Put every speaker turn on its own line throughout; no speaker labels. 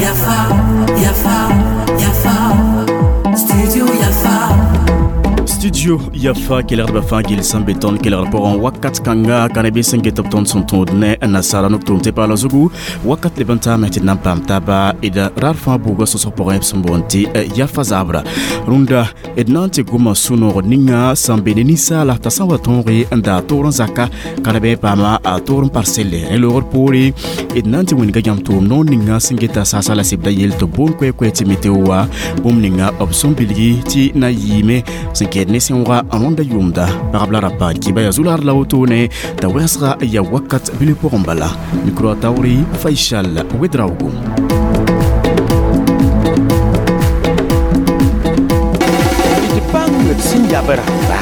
Yafa, Yafa, Yafa, Studio Yafa.
Studio Yafa kelgdbã fãa gill sẽn be tõnd kelgr pʋgẽ wakat kãnga ka ne bɩ sẽn get b tõnd sẽn tõod ne nasaara nug-tʋʋm tɩ paala zugu wakat leb n taame tɩ d na n paam taaba d rar fãa buugã sõsg pʋgẽ b sẽn boond tɩ Yafa zabra rũndã d na n tɩ goma sũ-noog ninga sẽn be ne ninsaala t'a sã n wa tõoge n daa toor n zaka ka ne bɩ paama a toor n parselle rẽ loogr poore d na n tɩ wĩnga yãmb tʋʋm noor ninga sẽn geta saasa la sebda yell tɩ boond koɛ-koɛ tɩ meteo wa bũmb ninga b sẽn bilgi tɩ na yɩɩme sẽn kɛɛd ne sẽooga n rõnda yʋʋmda pagb la rapa kiba yaa zu-laad la wotone t'a wɛsga yaa wakat bil pʋgẽ bala mikro a taoore Faisal Ouedraogo.
D bãng d sẽn yab rãmba.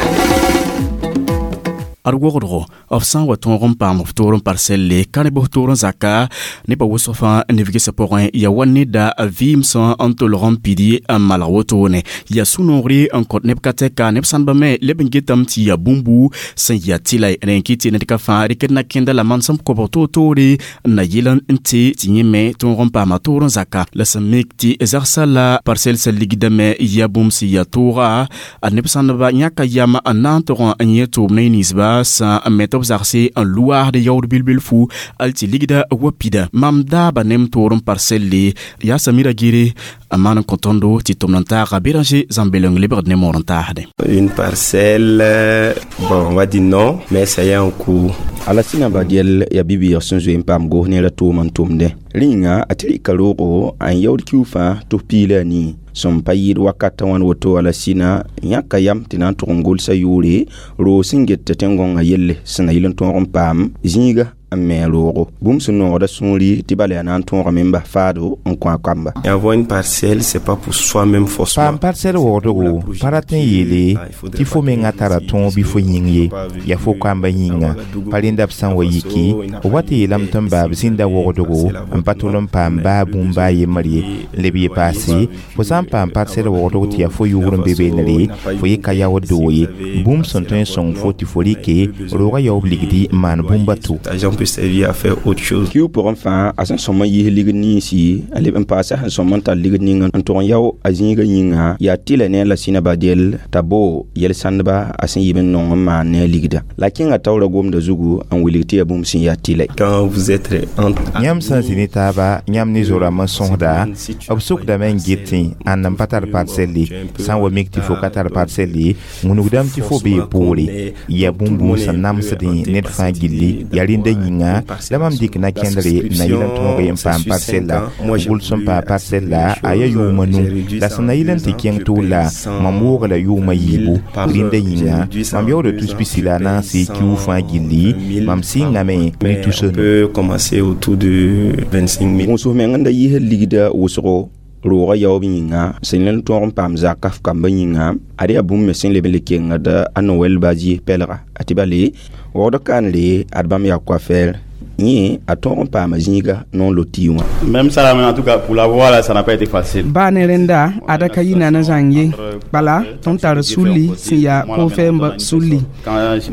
Ad wogdgo b sã n wa tõog n paam f toor n parselle ka ne bs toor n zaka nebã wʋsg fãa neb gesã pʋgẽ yaa wa neda vɩɩm sã n tolg n pidi n malg wotone yaa sũ-noogre n kõt neb ka tɛka neb sãndbã me leb n getame tɩ yaa bũmbu sẽn yaa tɩla rẽ n kɩt tɩ ned ka fãa rɩkd na kẽnda la manesem kobg toor-toore n na yɩl n tɩ tɩ yẽ me tõog n paama toor n zaka la sẽn mik tɩ zagsã la parsel sẽn ligdame yaa bũmb sẽn yaa tooga a neb sãndba yãka yam n na n tog n yẽ tʋʋm ne ninsba sã n me tɩ b zagse n luaasd yaood bil-bilfu al tɩ ligda wa pida mam daaba nem toor n parselle yaa Samira Gere n maan n kõ tõndo tɩ tʋmd n taaga Béranger Zãmbeleng lebgd ne moor n taasde.
Une parcelle, bon, on va dire non, mais ça y est en cours.
Alasina Badiel yaa bi-bɩɩg sẽn zoe n paam gos neerã tʋʋm n tʋmdẽ rĩnga a tɩ rɩka roogo n yaood kiu fãa tɩ f piig la a nii sẽn pa yɩɩd wakatã wãn woto Alasina yãka yam tɩ na n tʋg n gʋlsa yʋʋre roog sẽn get tɩ tẽn-gõngã yelle sẽn na yɩl n tõog n paam zĩiga n me roogo bũmb sẽn noogda sũuri tɩ bala yaa na n tõogame n bas faado n kõ a kamba.
Avoir une parcelle, c'est pas pour soi-même forcément.
Paam parsɛl waoodgo pa rat n yeele tɩ fo menga tara tõog bɩ fo yĩng ye yaa fo kamba yĩnga pa rẽnda b sã n wa yiki b wa tɩ yeelame tɩ n baa b zĩnda waoodgo n pa tol n paam baa bũmb a yembr ye n leb ye paase fo sã n paam parsɛl waoodg tɩ yaa fo yʋgr n be beenre fo yɩ ka yaood doo ye bũmb sẽn tõe n sõng fo tɩ fo rɩke roogã yaoob ligdi n maan bũmb a to.
L'argent peut servir à faire autre chose.
Kiu pʋgẽ fãa a sẽn sõm n yiis ligd ninsi a leb n paasa sẽn sõm n tar ligd ninga n tʋg n yao a zĩigã yĩnga yaa tɩla ne a Lasina Badiel t'a boo yel-sãndba a sẽn yib n nong n maan ne a ligda la kẽngã taoorã gomda zugu n wilg tɩ yaa bũmb sẽn yaa tɩla.
Quand vous êtes entre
Yãmb sã n zĩ ne taaba yãmb ne zo-rãmb n sõsda b sokdame n getẽ ãnd n pa tar parsɛlle sã n wa mik tɩ fo ka tar parsɛlle wũnugdame tɩ fo bee poore yaa bũmbu sẽn namsdẽ ned fãa gilli yaa rẽnda yĩnga la mam dɩk na kẽndre na yɩl n tõog n paam parsɛlla gʋls n paa parsɛlla a yaa yʋʋma nu la sẽn na yɩl n tɩ kẽng tʋʋla mam wooga la yʋʋma yiibu rẽnda yĩnga mam yaooda tus pisi la a naase kiu fãa gilli mam sɩngame ne
Mais on
tus nu.
peut commencer autour de 25 000.
Gũus meng n da yiisd ligda wʋsgo roogã yaoob yĩnga sẽn le n tõog n paam zaka f kambã yĩnga ad yaa bũmb me sẽn leb n le kengd a Noɛl Badie pɛlga a tɩ bale waood kaanre ad bãmb yaa coiffeur yẽ a tõog n paama zĩiga noor loti wã.
Même ça, en tout cas, pour l'avoir, là, ça n'a pas été facile.
Baa ne rẽnda ada ka yi na zãng ye bala tõnd tar sulli sẽn yaa kofɛɛmbã sulli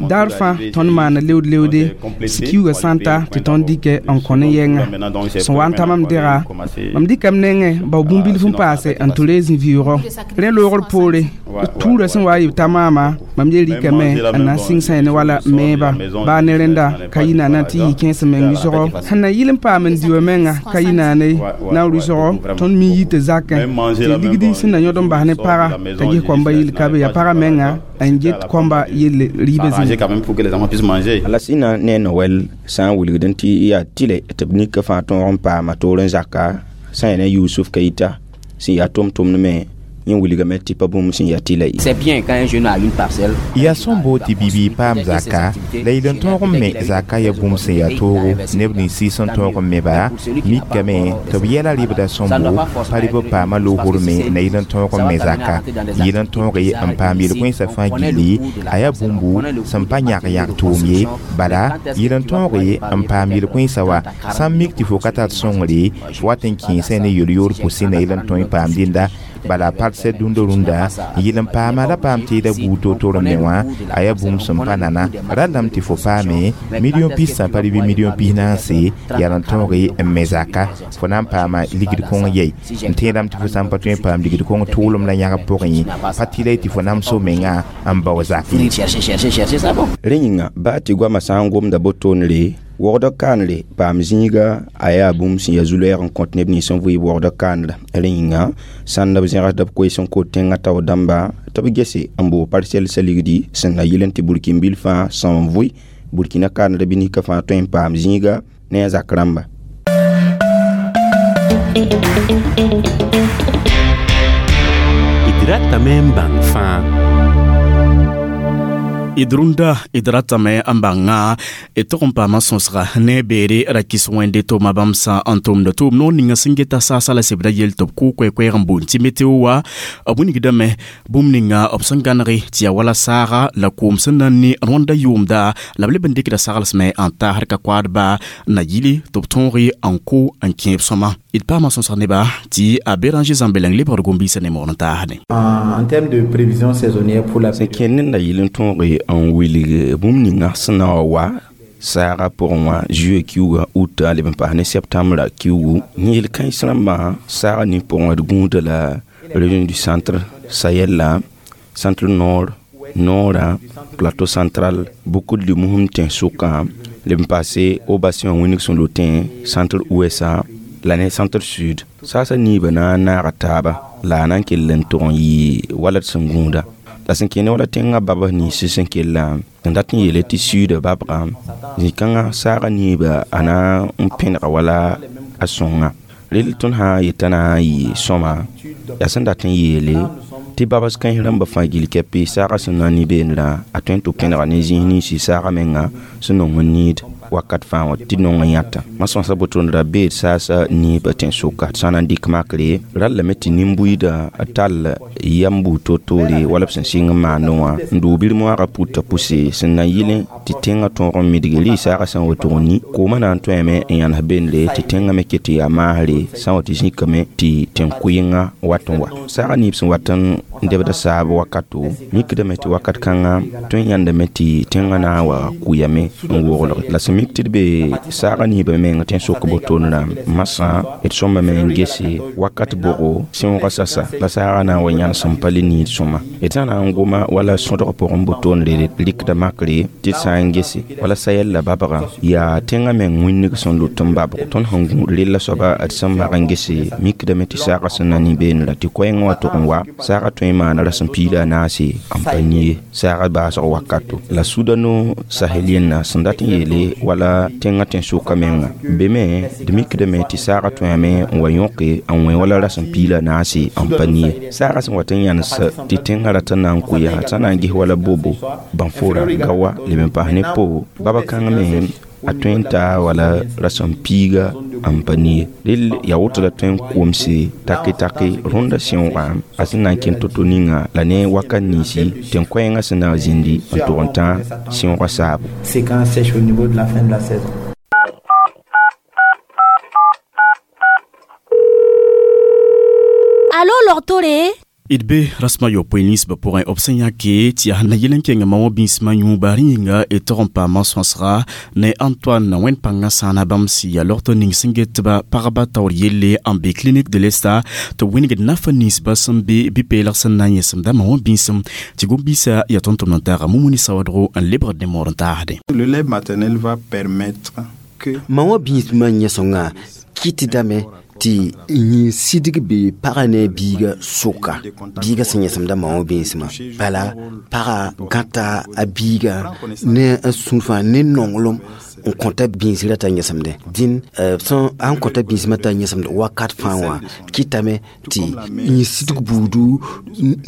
daar fãa tõnd maana leood leoode kiuugã sã n ta tɩ tõnd dɩkɛ n kõ ne yɛnga sẽn wa n ta mam dega mam dɩkame nengẽ bao bũmb-bilf n paase n tɩ reeg zĩ-vɩʋʋgɔ rẽ loogr poore tuurã sẽn wa n yɩ ta maama mam ye rɩkame n na n sɩng sã ne wala meeba baa ne rẽnda ka yi naana tɩ yɩ kẽes meng rɩsgɔ sẽn na yɩl n paam n di wa menga ka yi naane na rɩsgɔ tõnd mi yɩ tɩ zakẽ tɩ ligdi sẽn na yõd n bas ne paga t'a ges kõmba yɩl ka be yaa pagã menga n get kõmba yelle rɩɩbã zĩnga.
Quand même pour que les enfants puissent manger.
Alasina ne Noɛl sã n wilgd n tɩ yaa tɩlɛ tɩ b nika fãa tõog n paama toor n zaka sã n yaa ne Yusuf Keita sẽn yaa tʋm-tʋmd me yẽ wilgame tɩ pa bũmb sẽn yaa tɩla ye.
C'est bien quand un jeune a une parcelle.
Yaa sõm tɩ bibii paam zaka la yɩl n tõog n me zaka yaa bũmb sẽn yaa toogo neb nins sɩɩs n tõog n meba mikame tɩ b yɛla rɩbda sõmbo pa rɩ b paama loogr me na yɩl n tõog n me zaka yɩl n tõoge n paam yel-kõensã fãa gilli a yaa bũmbu sẽn pa yãg yãg tʋʋm ye bala yɩl n tõoge n paam yel-kõensã wa sã n mik tɩ fo ka tar sõngre fo wat n kẽesã ne yel-yoor pʋsẽ na yɩl n tõe n paam dẽnda Bala parcelle dũndã rũndã yɩl n paama ra paam tɩɩda buud to-to me wã a yaa bũmb sẽn pa nana rallame tɩ fo paame million pis sã pa bɩ million pis naase yaa n tõoge n me zaka fo na n paama ligd kõng yɛi n tẽedame tɩ fo sã n pa tõe n paam ligd kõng tʋʋlem la yãgb pʋgẽ pa tɩ la tɩ fo namso menga n bao zak ye.
Rẽ yĩnga baa tɩ goamã sã n gomda botoonre wogdã kaanre paam zĩiga a yaa bũmb sẽn yaa zu-loɛɛg n kõt neb nins n vɩɩb wogdã kaanra. Rẽ yĩnga sãnd b zẽgsda b koees n kot tẽngã taoor dãmba tɩ b gese n boog parsɛl sa ligdi sẽn na yɩl n tɩ burkin-bil fãa são n vʋɩ burkina kaanra bɩ nika fãa tõe n paam zĩiga ne a zak rãmba.
D ratame n bãng fãa.
D rũndã d ratame n bãnga d tog n paama sõsga ne beere ra kɩs wẽnde tʋʋma bãmb sã n tʋmda tʋʋm noor ninga sẽn geta saasa la sebda yel tɩ b kʋ koɛ-koɛɛg n boond tɩ meteo wa b wilgdame bũmb ninga b sẽn gãnege tɩ yaa wala saaga la koom sẽn na n ne rõanda yʋʋmda la b leb n dɩkda saglsme n taasd ka koaadba na yili tɩ b tõoge n kʋ n kẽeb sõma. D paama sõsg neba tɩ a Béranger Zãmbeleng lebgd gom-biisã ne moor n taasde.
En termes de prévision saisonnière pour la
sẽn kẽnd ned na yɩl n tõoge n wilg bũmb ninga sẽn na wa wa saaga pʋgẽ wã juillet kiuga août a leb n paas ne septembre kiugu yẽl kãens rãmbã saaga nin pʋgẽ d gũuda la région du centre, Sahel la centre nord, nord, plateau central, beaucoup de musum tẽn-sʋkã leb n paase au bassin wã wĩneg sẽn lotẽ centre ouest la ne centre sud. Saasã niibã na n naaga taaba la a na n kell n tʋg n yɩ wala d sẽn gũuda la sẽn kẽne wala tẽngã babs nins sẽn kella n dat n yeele tɩ suudã babga zĩ-kãngã saaga niibã a na n pẽnega wala a sõnga rel tõnd sã n yetã na n yɩ sõma yaa sẽn dat n yeele tɩ babs kãens rãmbã fãa gill kɛpɩ saaga sẽn na n ne beenrã a tõe n tɩ pẽnega ne zĩis ninsi saaga menga sẽn nong n niid wakat fãa wã tɩ nong n yãta. Ma sõsa botoond ra beed saasa niibã tẽn-sʋka sã na n dɩk makre rallame tɩ nin-buiidã tall yam buud to-toore wala b sẽn sɩng n maandẽ wã n doog bir-moaagã putã pʋse sẽn na yɩlẽ tɩ tẽngã tõog n midge rɩ-saagã sã n woto n ni koomã na n tõeme n yãnes bendre tɩ tẽngã me ket tɩ yaa maasre sã n wa tɩ zĩkame tɩ tẽn-kʋɩngã wat n wa saagã niib sẽn wat n debda saab wakato mikdame tɩ wakat kãngã tõe n yãndame tɩ tẽngã na n wa kʋyame n woglg la sẽn mik tɩ d be saagã niibã meng tẽn-sok botoonrã masã d sõmbame n gese wakat bʋgo sẽoogã sasa la saagã na n wa yãnes n pa le niid sõma d sã na n goma wala sõdg pʋgẽ botoonre rɩkda makre tɩ d sã n gese wala Sahel la babgã yaa tẽngã meng wĩnnig sẽn lut n babg tõnd sẽn gũud rella soaba d sẽn mag n gese mikdame tɩ saagã sẽn na ne beenrã tɩ koɛɛngã wa tʋg n wa saagã tõe n maana rasem piila a naase n pa nie saagã baasg wakato la sudano sahelienna sẽn dat n yeele wala tẽngã tẽn-sʋka menga be me d mikdame tɩ saagã tõeme n wa yõke n wẽ wala rasem piila a naase n pa nie saagã sẽn wat n yãnes tɩ tẽngã rat n na n kʋ yaa sã na n ges wala bobo bãnfora gawa leb n paas ne po baba kãng me a tõe n taa wala rasem piiga n pa nie rel yaa woto la tõe n komse take-take rõnda sẽoogã a sẽn na n kẽnd to-to ninga la ne wakat ninsi tẽn-koɛɛngã sẽn na n zĩndi n tʋg n tã sẽoogã saabo.
Séquence sèche au niveau de la fin de la saison.
Allô, Lortoré?
D be rasmã yopoe ninsbã pʋgẽ b sẽn yãke tɩ yaa na yɩl n kẽngã ma wã bĩsmã yũuba rẽ yĩnga d tog n paamã sõsga ne Antoine wẽnd-pãngã sãana bãmb sɩ yaa logtɔ ning sẽn getba pagba taoor yelle n be clinique de l'Est tɩ b wĩnigd nafa ninsbã sẽn be bɩ-peelg sẽn na n yẽsemda ma wã bĩsem tɩ gom-biisã yaa tõnd-tʋmd n taaga Mumuni Sawadgo n lebgd ne moor n taasdẽ.
Le lait maternel va permettre que
ma wã bĩsmã yẽsengã kɩtdame tɩ yĩn sidg be pagã ne biiga sʋka biiga sẽn yẽsemda ma wã bĩsmã bala pagã gãta a biiga ne a sũur fãa ne nonglem n kõta bĩsrã t'a yẽsemdẽ dĩn sẽn an kõta bĩsmã t'a yẽsemd wakat fãa wã kɩtame tɩ yĩn sidg buudu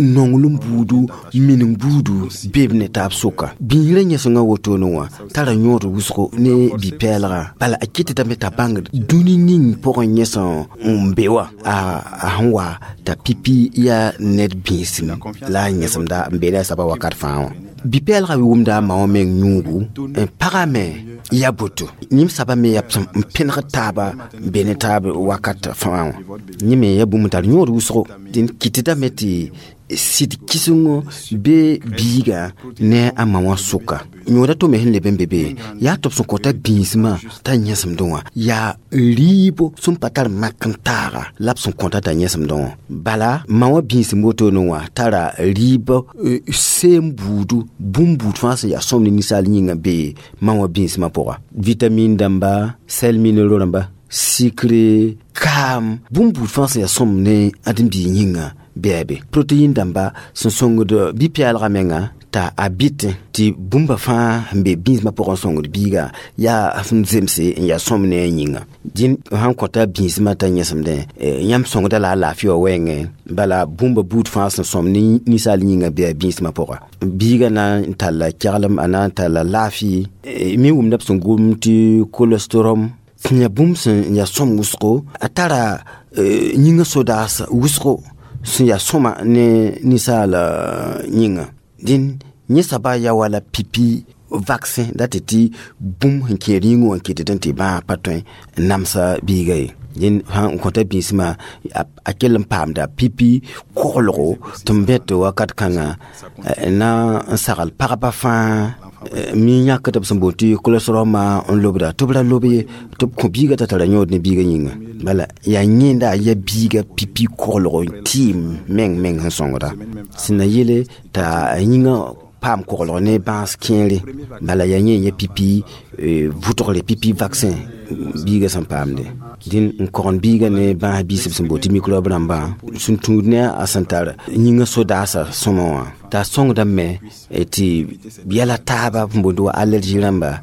nonglem buudu mining buudu be b ne taab sʋka bĩsrã yẽsengã wotone wã tara yõod wʋsgo ne bi-pɛɛlgã bala a kɩtdame t'a bãngd dũni ning pʋgẽ yẽsẽ n be wã a sẽn wa t'a pipi yaa ned bĩsem la a yẽsemda n be ne a saba wakat fãa wã bi-pɛɛlgã wʋmda a ma wã meng yũugu n pagame Ya boto yĩm saba me yaa n pẽneg taaba n be ne taab wakat fãa wã. Yẽ me yaa bũmb n tar yõod wʋsgo. Dẽn kɩtdame tɩ sɩd kɩsengo be biiga ne a ma wã sʋka. Yõoda to me sẽn leb n be be yaa tɩ b sẽn kõta bĩismã t'a yẽsemdẽ wã yaa rɩɩbo sẽn pa tar mak n taaga la b sẽn kõta t'a yẽsemdẽ wã. Bala ma wã bĩisem wotone wã tara rɩɩb seem buudu, bũmb buud fãa sẽn yaa sõm ne ninsaal yĩngã be ma wã bĩismã pʋga. Vitamine dãmba, sel minéraux rãmba, sikre, kaam, bũmb buud fãa sẽn yaa sõm ne ãdem-biig yĩngã bɩ be. Protéine dãmba sẽn sõngd bi-pɛɛlgã menga t'a a bɩtẽ tɩ bũmba fãa sẽn be bĩismã pʋgẽ n sõngd biiga yaa sẽn zemse n yaa sõm ne a yĩnga. Dĩn sãn kõta bĩismã t'a yẽsemdẽ, yãmb sõngda la a laafɩ wã wɛɛngẽ. Bala bũmba buud fãa sẽn sõm ne ninsaal yĩngã bɩ a bĩismã pʋga. Biiga na n talla keglem, a na n talla laafɩ. Me wʋmda b sẽn gom tɩ cholestérol sẽn yaa bũmb sẽn yaa sõm wʋsgo, a tara yĩngã sodaas wʋsgo sẽn yaa sõma ne ninsaal yĩnga. Dĩn yẽ saba yaa wala pipi vaccin dat tɩ bũmb sẽn kẽer yĩngã wã n kɩtd tɩ bãag pa tõe n namsa biiga ye. Dẽn sã n kõta bĩismã a kell n paamda pipi koglgo tɩ n bẽt wakat kãngã na n sagl pagba fãa mi yãkd b sẽn boond tɩ cholestérol n lobda tɩ b ra lob ye tɩ b kõ biiga t'a tara yõod ne biiga yĩnga. Bala yaa yẽnda yaa biiga pipi koglgo n tɩɩm meng meng sẽn sõngda sẽn na yele t'a yĩngã paam koglg ne bãas kẽere. Bala yaa yẽ ya pipi vʋtgre, pipi vaccin biiga sẽn paamde. Dĩn n kogend biiga ne bãas biisb sẽn boond tɩ microbe rãmbã sẽn tũud ne a sẽn tar yĩngã sodaasã sõma wã t'a sõngdame tɩ yɛla taaba sẽn boond wa allergie rãmba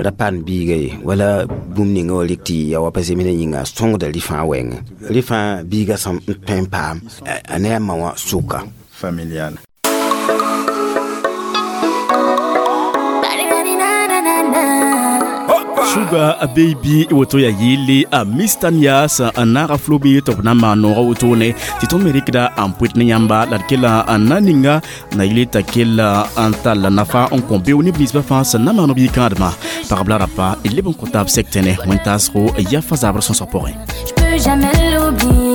ra paam biiga ye wala bũmb ninga wa rɩk tɩ ya wa pa zemsdã yĩnga sõngda rɩ fãa wɛɛngẽ. Rɩ fãa biiga sẽn tõe n paam a ne a ma wã sʋka.
Familial.
Sugar Baby woto ya yele a Mr. Nias n naaga flobe tɩ b na n maan noogã wotone tɩ tõnd me rɩkda n pʋɩt ne yãmba la d kella n na ninga na yele t'a kella n tall nafa n kõ beo neb ninsbã fãa sẽn na maan b yikãadmã. Pagb la rapa d leb n kõ taab sɛk tẽne wẽn-taasgo yafa zabr sõsg pʋgẽ.
Je peux jamais l'oublier.